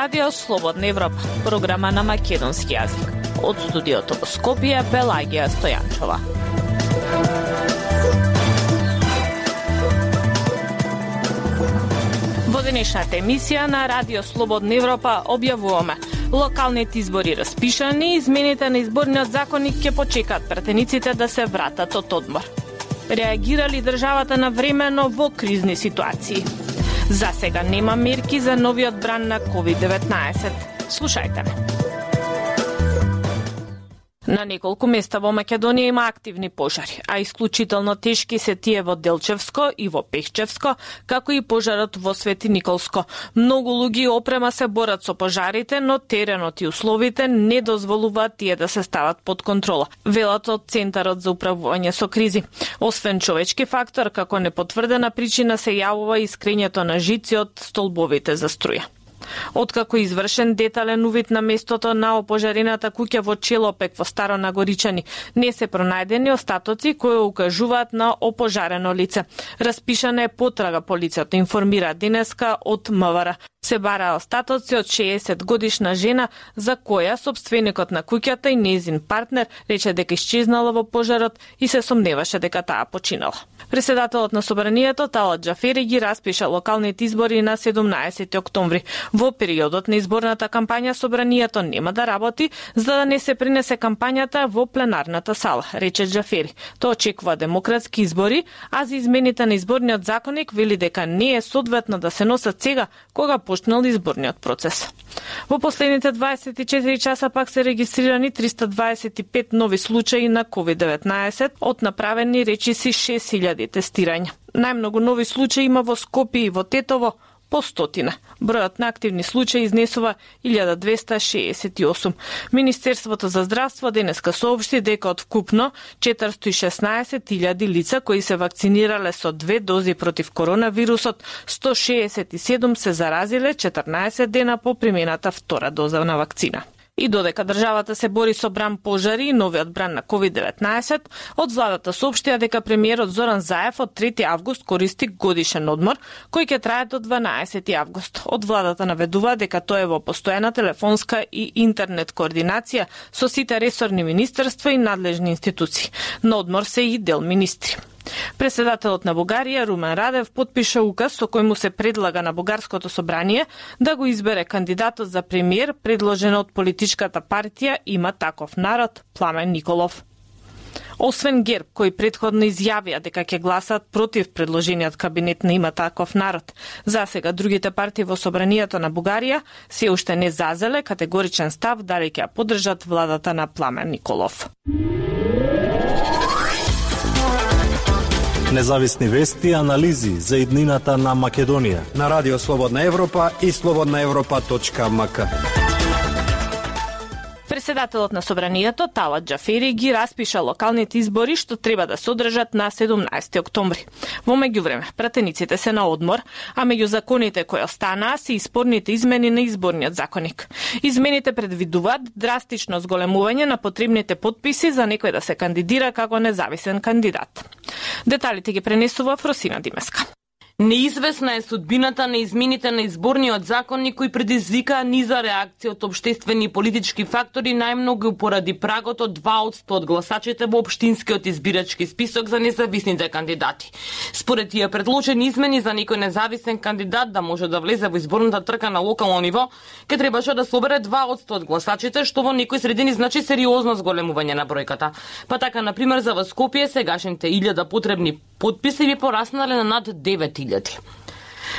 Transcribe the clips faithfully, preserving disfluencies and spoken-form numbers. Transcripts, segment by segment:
Радио Слободна Европа, програма на македонски јазик. Од студиото во Скопје, Пелагија Стојанчова. Во денешната емисија на Радио Слободна Европа објавуваме: локалните избори распишани, измените на изборниот законник ќе почекаат пратениците да се вратат од одмор. Реагирали државата на времено во кризни ситуации. За сега нема мерки за новиот бран на ковид деветнаесет. Слушајте ме. На неколку места во Македонија има активни пожари, а исклучително тешки се тие во Делчевско и во Пехчевско, како и пожарот во Свети Николско. Многу луѓе и опрема се борат со пожарите, но теренот и условите не дозволуваат тие да се стават под контрола, велат од Центарот за управување со кризи. Освен човечки фактор, како непотврдена причина се јавува и искрењето на жици од столбовите за струја. Откако извршен детален увид на местото на опожарената куќа во Челопек во Старо Нагоричани, не се пронајдени остатоци кои укажуваат на опожарено лице. Распишана е потрага, полицијата информира денеска од МВР. Се бара остатоци од шеесет годишна жена за која сопственикот на куќата и нејзин партнер рече дека исчезнала во пожарот и се сомневаше дека таа починала. Председателот на Собранието Талат Џафери ги распиша локалните избори на седумнаесети октомври. Во периодот на изборната кампања Собранието нема да работи за да не се пренесе кампањата во пленарната сала, рече Џафери. Тоа очекува демократски избори, а за измените на изборниот законник вели дека не е соодветно да се носат сега кога почнал изборниот процес. Во последните дваесет и четири часа пак се регистрирани триста дваесет и пет нови случаи на ковид деветнаесет, од направени речиси шест илјади тестирања. Најмногу нови случаи има во Скопје и во Тетово, по стотина. Бројот на активни случаи изнесува илјада двеста шеесет и осум. Министерството за здравство денеска соопшти дека од вкупно четиристо и шеснаесет илјади лица кои се вакцинирале со две дози против коронавирусот, сто шеесет и седум се заразиле четрнаесет дена по примената втора доза на вакцина. И додека државата се бори со бран пожари и новиот бран на ковид деветнаесет, од владата соопштија дека премиерот Зоран Заев од трети август користи годишен одмор, кој ќе трае до дванаесети август. Од владата наведува дека тој е во постојана телефонска и интернет координација со сите ресорни министерства и надлежни институции. На одмор се и дел министри. Председателот на Бугарија Румен Радев потпиша указ со кој му се предлага на Бугарското собрание да го избере кандидатот за премиер предложен од политичката партија Има таков народ Пламен Николов. Освен ГЕРБ, кои претходно изјавија дека ќе гласат против предложениот кабинет на Има таков народ, засега другите партии во собранието на Бугарија се уште не зазеле категоричен став дали ќе ја поддржат владата на Пламен Николов. Независни вести и анализи за иднината на Македонија на Радио Слободна Европа и слободна европа точка ем ка. Председателот на Собранието Талат Џафери ги распиша локалните избори што треба да се одржат на седумнаесети октомври. Во меѓувреме, пратениците се на одмор, а меѓу законите кои останаа се и спорните измени на изборниот законник. Измените предвидуваат драстично зголемување на потребните потписи за некој да се кандидира како независен кандидат. Деталите ги пренесува Фросина Димеска. Неизвестна е судбината на измените на изборниот законник кои предизвикаа низа реакција од општествени и политички фактори, најмногу поради прагот од два одсто од гласачите во општинскиот избирачки список за независните кандидати. Според тие предложени измени за некој независен кандидат да може да влезе во изборната трка на локално ниво, ке требаше да собере два одсто од гласачите, што во некои средини значи сериозно зголемување на бројката. Па така, на пример, за во Скопје сегашните илјада потребни потписи би пораснале на над девет илјади.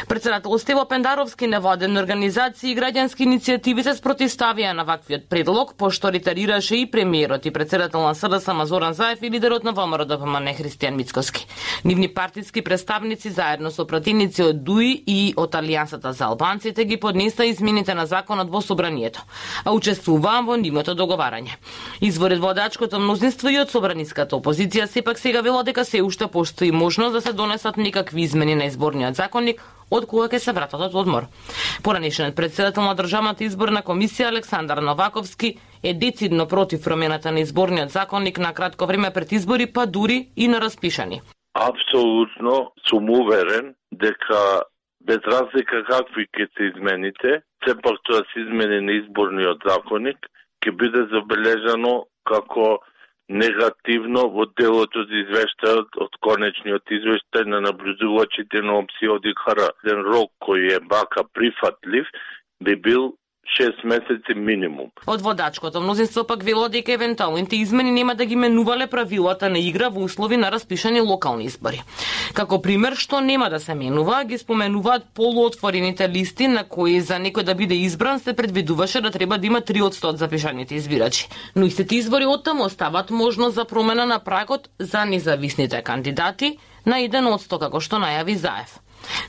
Председател Стево Пендаровски, невладени организации и граѓански иницијативи се спротивставија на ваквиот предлог, пошто ретарираше и премиерот и председател на СДСМ Зоран Заев и лидерот на ВМРО Д П М Н Христијан Мицкоски. Нивни партиски представници заедно со пратеници од ДУИ и од Алијансата за албанците ги поднеса измените на законот во собранието, а учествуваа во нивното договарање. Изворот водачкото мнозинство и од собраниската опозиција сепак сега велат дека се уште постои можност да се донесат некакви измени на изборниот законник од кога ќе се вратат од одмор. Поранешниот председател на Државната изборна комисија Александар Новаковски е децидно против промената на изборниот законник на кратко време пред избори, па дури и на распишани. Апсолутно сум уверен дека без разлика какви ќе се измените, сепак тоа се измени на изборниот законник, ќе биде забележано како негативно во делото за извештајот од конечниот извештај на наблюдувачите на ОПСИ од ИКХР. Ден рок кој е бака прифатлив би бил шест месеци минимум. Од водачкото мнозинство пак вело дека евентуалните измени нема да ги менувале правилата на игра во услови на распишани локални избори. Како пример што нема да се менува, ги споменуваат полуотворените листи на кои за некој да биде избран се предвидуваше да треба да има три од сто од запишаните избирачи. Но истите избори оттаму остават можност за промена на прагот за независните кандидати на еден од сто, како што најави Заев.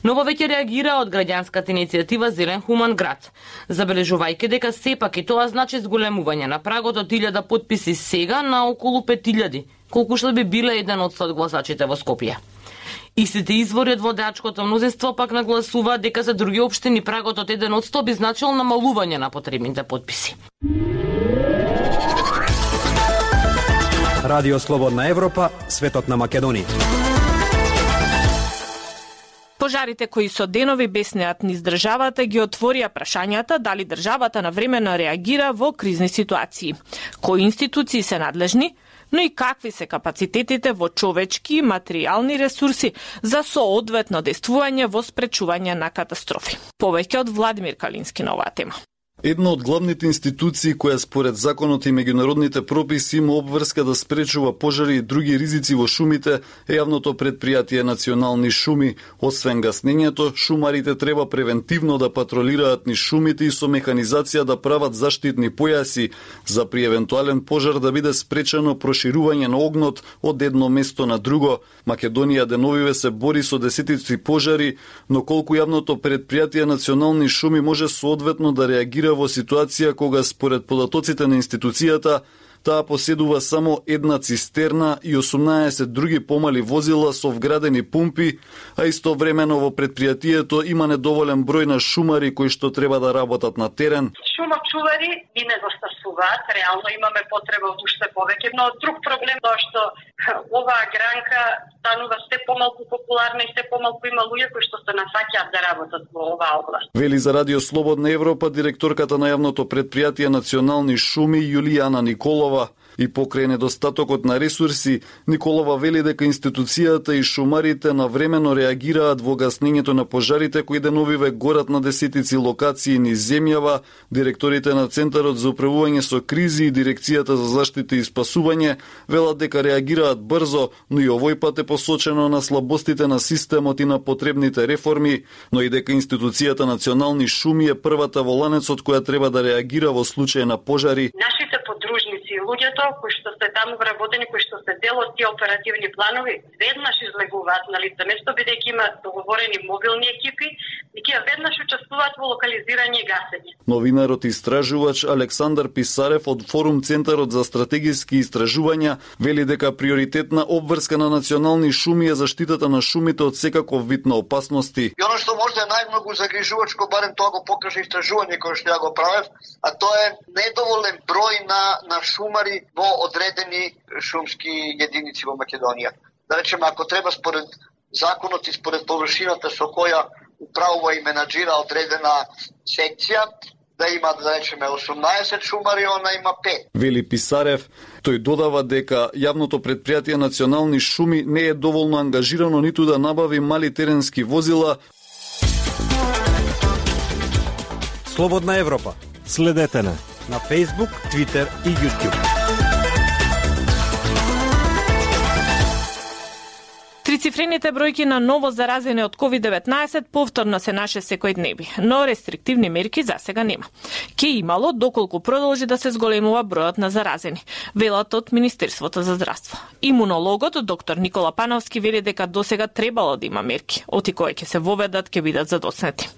Но веќе реагира од граѓанската иницијатива Зелен хуман град, забележувајќи дека сепак и тоа значи зголемување на прагот од илјада потписи сега на околу пет илјади, колку што би биле еден од сто од гласачите во Скопје. Истите извори од водачкото мнозинство пак нагласуваат дека за други општини прагот од еден од сто би значил намалување на потребните потписи. Радио Слободна Европа, светот на Македонија. Пожарите кои со денови беснеат низ државата ги отворија прашањата дали државата навремено реагира во кризни ситуации, кои институции се надлежни, но и какви се капацитетите во човечки и материјални ресурси за соодветно действување во спречување на катастрофи. Повеќе од Владимир Калински на оваа тема. Една од главните институции која според законот и меѓународните прописи има обврска да спречува пожари и други ризици во шумите е јавното предпријатие Национални шуми. Освен гаснењето, шумарите треба превентивно да патролираат низ шумите и со механизација да прават заштитни појаси за при евентуален пожар да биде спречено проширување на огнот од едно место на друго. Македонија деновиве се бори со десетици пожари, но колку јавното предпријатие Национални шуми може соодветно да реагира во ситуација кога според податоците на институцијата таа поседува само една цистерна и осумнаесет други помали возила со вградени пумпи, а истовремено во предпријатието има недоволен број на шумари кои што треба да работат на терен. Шумочувари и недостасуваат, реално имаме потреба од уште повеќе, но друг проблем тоа што оваа гранка станува се помалку популарна и се помалку има луѓе кои што се нафаќаат да работат во оваа област. Вели за Радио Слободна Европа директорката на јавното предпријатие Национални шуми Јулијана Николова. И покрај недостатокот на ресурси, Николова вели дека институцијата и шумарите навремено реагираат во гаснењето на пожарите кои деновиве горат на десетици локации низ земјава. Директорите на Центарот за управување со кризи и Дирекцијата за заштита и спасување велат дека реагираат брзо, но и овој пат е посочено на слабостите на системот и на потребните реформи, но и дека институцијата Национални шуми е првата во ланецот која треба да реагира во случај на пожари. Нашите подружници, луѓето кои што се таму вработени, кои што се дел од тие оперативни планови, веднаш излегуваат на лице место, бидејќи има договорени мобилни екипи и тие веднаш учествуваат во локализирање и гасење. Новинарот и истражувач Александар Писарев од Форум Центарот за стратегиски истражувања вели дека приоритетна обврска на Национални шуми е заштитата на шумите од секаков вид на опасности. И оно што може е најмногу загрижувачко, барем тоа го покаже истражување кое што ја го правев, а тоа е недоволен број на на шумари во одредени шумски единици во Македонија. Да речеме, ако треба според законот и според површината со која управува и менаџира одредена секција, да има, да речеме, осумнаесет шумари, она има пет. Вели Писарев, тој додава дека јавното предпријатие Национални шуми не е доволно ангажирано ниту да набави мали теренски возила. Слободна Европа. Следете на на Facebook, Twitter и YouTube. Трицифрените бројки на ново заразени од ковид деветнаесет повторно се наше секојдневни, но рестриктивни мерки засега нема. Ке имало доколку продолжи да се зголемува бројот на заразени, велат од Министерството за здравство. Имунологот доктор Никола Пановски вели дека досега требало да има мерки, оти кои ќе се воведат ќе бидат задоснети.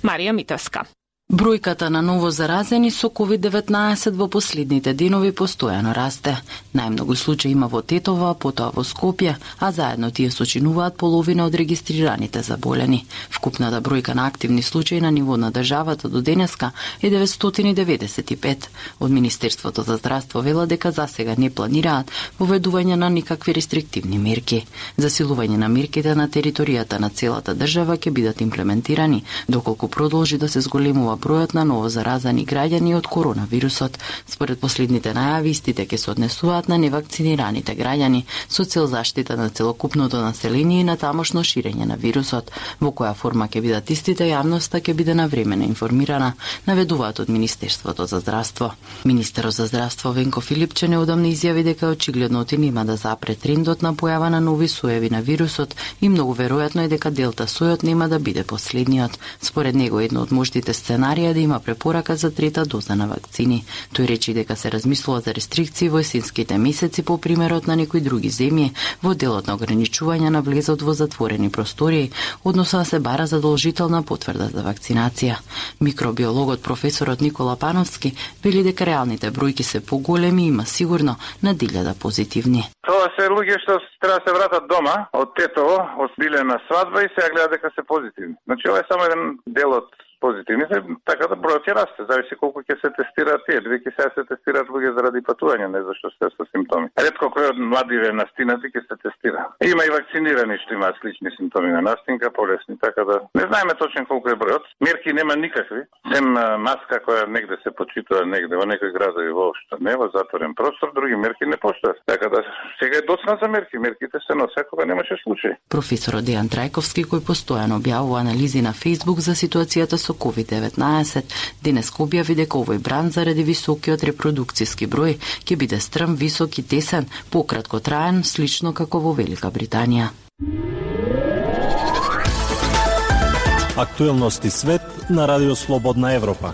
Марија Митевска. Бројката на ново заразени со ковид деветнаесет во последните денови постојано расте. Најмногу случаи има во Тетово, потоа во Скопје, а заедно тие сочинуваат половина од регистрираните заболени. Вкупната бројка на активни случаи на ниво на државата до денеска е деветстотини и деветдесет и пет. Од Министерството за здравство вела дека засега не планираат воведување на никакви рестриктивни мерки. Засилување на мерките на територијата на целата држава ќе бидат имплементирани доколку продолжи да се зголемува бројот на новозаразени граѓани од коронавирусот. Според последните најави, истите ќе се однесуваат на невакцинираните граѓани со цел заштита на целокупното население и на тамошно ширење на вирусот. Во која форма ќе бидат истите, јавноста ќе биде навремено информирана, наведуваат од Министерството за здравство. Министерот за здравство Венко Филипче неодамна изјави дека очигледно нема да запре трендот на појава на нови соеви на вирусот и многу веројатно е дека делта сојот нема да биде последниот. Според него едно од можните сценарии е да има препорака за трета доза на вакцини. Тој рече дека се размислува за рестрикции во есенските месеци по примерот на некои други земји во делот на ограничување на влезот во затворени простории, односно да се бара задолжителна потврда за вакцинација. Микробиологот професорот Никола Пановски вели дека реалните бројки се поголеми и има сигурно над илјада позитивни. Тоа се луѓе што треба да се вратат дома од Тетово, од биле на свадба и сега гледа дека се позитивни. Значи ова е само еден дел од позитивните, така да бројот ќе расте, зависи колку ќе се тестираат тие. Бидејќи сега се тестираат луѓе заради патување, не зашто се со симптоми. Ретко кој од младиве настинати ќе се тестира. Има и вакцинирани што имаат слични симптоми на настинка, полесни, така да не знаеме точно колку е бројот. Мерки нема никакви, сем маска која негде се почитува негде во некои градови воопшто, не во затворен простор, други мерки не постојат. Така да сега е доцна за мерки, мерките се носат кога немаше случај. Професорот Дејан Трајковски, кој постојано објавува анализи на Facebook за ситуацијата со ковид деветнаесет, денес објави дека овој бранд заради високиот репродукцијски број ќе биде стрм, висок и тесен, пократко траен, слично како во Велика Британија. Актуелности свет на Радио Слободна Европа.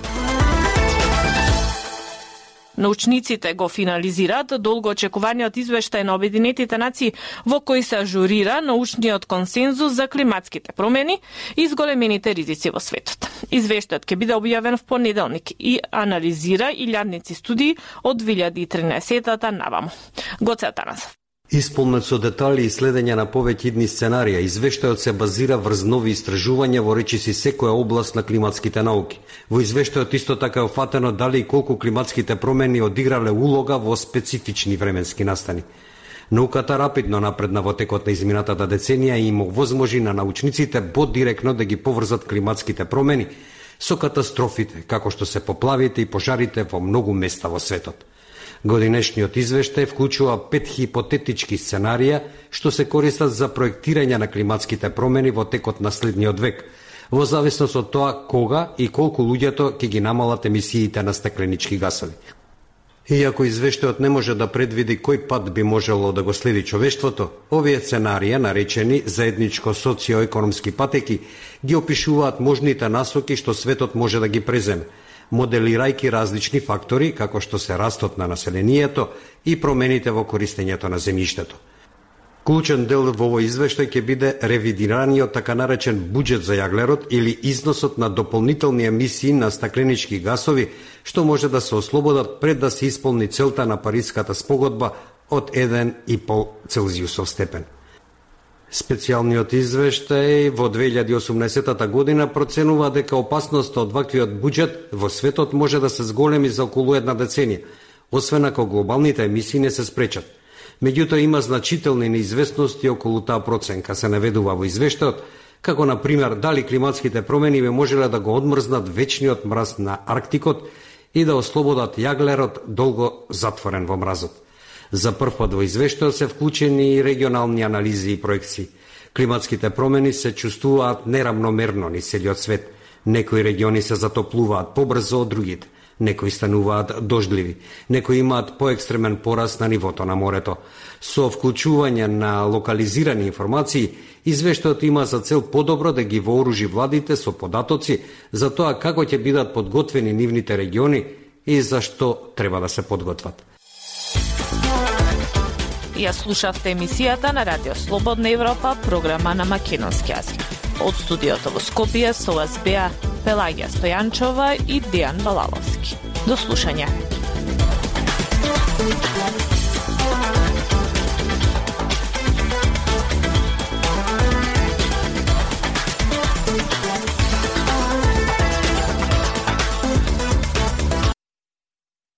Научниците го финализираат долго очекуваниот извештај на Обединетите нации во кој се ажурира научниот консензус за климатските промени и зголемените ризици во светот. Извештајот ќе биде објавен в понеделник и анализира илјадници студии од две илјади и тринаесетта наваму. Гоце Атанасов. Исполнет со детали и следење на повеќе идни сценарија, извештајот се базира врз нови истражувања во речиси секоја област на климатските науки. Во извештајот исто така е офатено дали и колку климатските промени одиграле улога во специфични временски настани. Науката рапидно напредна во текот на изминатата деценија и им овозможи на научниците подиректно да ги поврзат климатските промени со катастрофите, како што се поплавите и пожарите во многу места во светот. Годинешниот извештај вклучува пет хипотетички сценарија што се користат за проектирање на климатските промени во текот на следниот век, во зависност од тоа кога и колку луѓето ќе ги намалат емисиите на стекленички гасови. Иако извештајот не може да предвиди кој пат би можело да го следи човештвото, овие сценарија, наречени заедничко социоекономски патеки, ги опишуваат можните насоки што светот може да ги преземе, моделирајќи различни фактори, како што се растот на населението и промените во користењето на земјиштето. Клучен дел во овој извештај ќе биде ревидираниот така наречен буџет за јаглерод или износот на дополнителни емисии на стакленички гасови, што може да се ослободат пред да се исполни целта на Париската спогодба од еден и пол Целзиусов степен. Специјалниот извештај во две илјади и осумнаесетта година проценува дека опасноста од ваквиот буџет во светот може да се зголеми за околу една деценија, освен ако глобалните емисии не се спречат. Меѓутоа има значителни неизвестности околу таа проценка, се наведува во извештајот, како на пример дали климатските промени би можеле да го одмрзнат вечниот мраз на Арктикот и да ослободат јаглерод долго затворен во мразот. За прв пат во извештајот се вклучени и регионални анализи и проекции. Климатските промени се чувствуваат неравномерно низ целиот свет. Некои региони се затоплуваат побрзо од другите, некои стануваат дождливи, некои имаат поекстремен пораст на нивото на морето. Со вклучување на локализирани информации, извештајот има за цел подобро да ги вооружи владите со податоци за тоа како ќе бидат подготвени нивните региони и зашто треба да се подготват. Ја слушавте емисијата на Радио Слободна Европа, програма на македонски јазик. Од студиото во Скопје со вас беа Пелагија Стојанчова и Дејан Балаловски. До слушање.